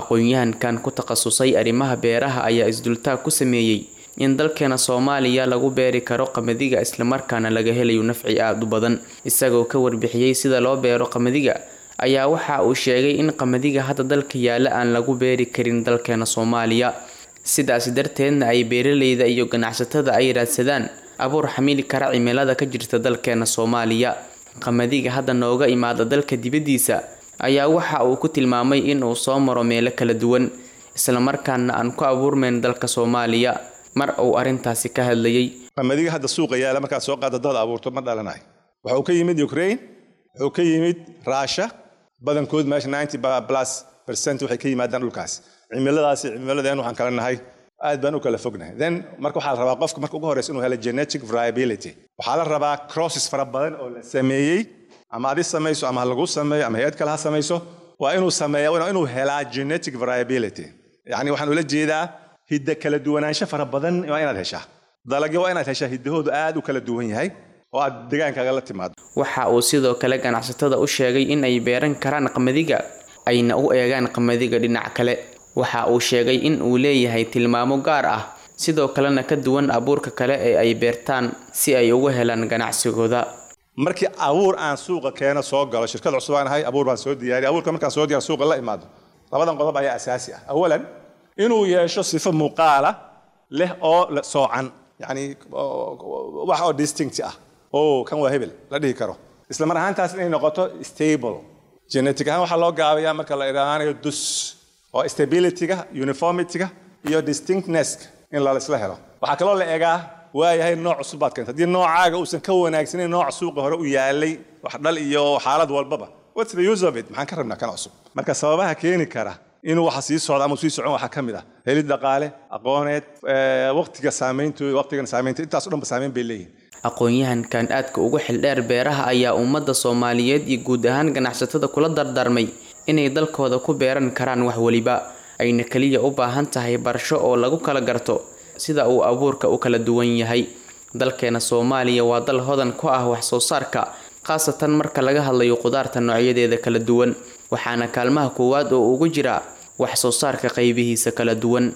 Aqoon-yahankan ku takhasusay arrimaha beeraha ayaa isdultaag ku sameeyay in dalkeena Soomaaliya lagu beeri karo qamadiga islamarkaana laga helayo nafci aad u badan. Isagoo ka warbixiyay sida loo beero qamadiga ayaa waxa uu sheegay in qamadiga hadda dalka yaala aan lagu beeri karin dalkeena Soomaaliya, sidaas darteedna ay beeraleyda iyo ganacsatada ay raadsadaan abuur xamili kara cimilada ka jirta dalkeena Soomaaliya. Qamadiga hadda nooga imaada dalka dibadiisa ayaa waxa uu ku tilmaamay in uu soo maro meelo kala duwan, islamarkaana aan ku abuurmeyn dalka Soomaaliya. Mar uu arrintaasi ka hadlayay: Qamadiga hadda suuqa yaala markaad soo qaado dad abuurto ma dhalanayo. Wuxuu ka yimid Ukraine, wuxuu ka yimid Russia, badankood meesha 90+% waxay ka yimaadaan dhulkaas. Cimiladaasi cimiladeen waxaan kala nahay aad baan u kala fognahay. Then marka waxaa la rabaa qofka marka ugu horeysa inuu helo genetic variability. Waxaa la rabaa crosses fara badan oo la sameeyey, ama adi samayso ama ha lagu sameeyo ama hay-ad kale ha samayso, waa inuu sameeya, waa inuu helaa genetic variability. Yacni waxaan ula jeedaa hidda kala duwanaansho fara badan waa inaad heshaa. Dalagyo waa inaad heshaa hiddahoodu aad u kala duwan yahay oo aad degaankaaga la timaado. Waxa uu sidoo kale ganacsatada u sheegay in ay beeran karaan qamadiga, ayna u eegaan qamadiga dhinac kale. Waxa uu sheegay in uu leeyahay tilmaamo gaar ah, sidoo kalena ka duwan abuurka kale ee ay beertaan si ay ugu helaan ganacsigooda. Markii abuur aan suuqa keeno soo galo, shirkad cusub aan ahay, abuur baan soo diyaariyay. Abuurka markaan soo diyaar suuqa la imaado, labadan qodob ayaa asaasi ah. Awalan, inuu yeesho sifo muuqaala leh oo soocan, yacni wax oo distinct ah oo kan waa hebel la dhihi karo, isla mar ahaantaas inay noqoto stable. Genetic ahaan waxaa loo gaabayaa marka la idhaahanayo dus oo stability-ga, uniformity-ga iyo distinctness in la isla helo. Waxaa kaloo la eegaa, waayahay, nooc cusub baad keentay, haddii noocaaga uusan ka wanaagsanayn nooc suuqa hore u yaalay wax dhal iyo xaalad walbaba, what's the use of it? Maxaan ka rabnaa kan cusub? Marka sababaha keeni kara inuu waxa sii socdo ama sii socon waxaa ka mid ah helid dhaqaale, aqooneed, waqtiga saameyntooda, waqtigan saameynta, intaas o dhan ba saameyn bay leeyihin. Aqoon-yahankan aadka ugu xildheer beeraha ayaa ummadda Soomaaliyeed iyo guud ahaan ganacsatada kula dardaarmay inay dalkooda ku beeran karaan wax waliba, ayna kaliya u baahan tahay barasho oo lagu kala garto sida uu abuurka u kala duwan yahay. Dalkeena Soomaaliya waa dal hodan ku ah wax soo saarka, khaasatan marka laga hadlayo khudaarta noocyadeeda kala duwan, waxaana kaalmaha koowaad oo ugu jira wax soo saarka qaybihiisa kala duwan.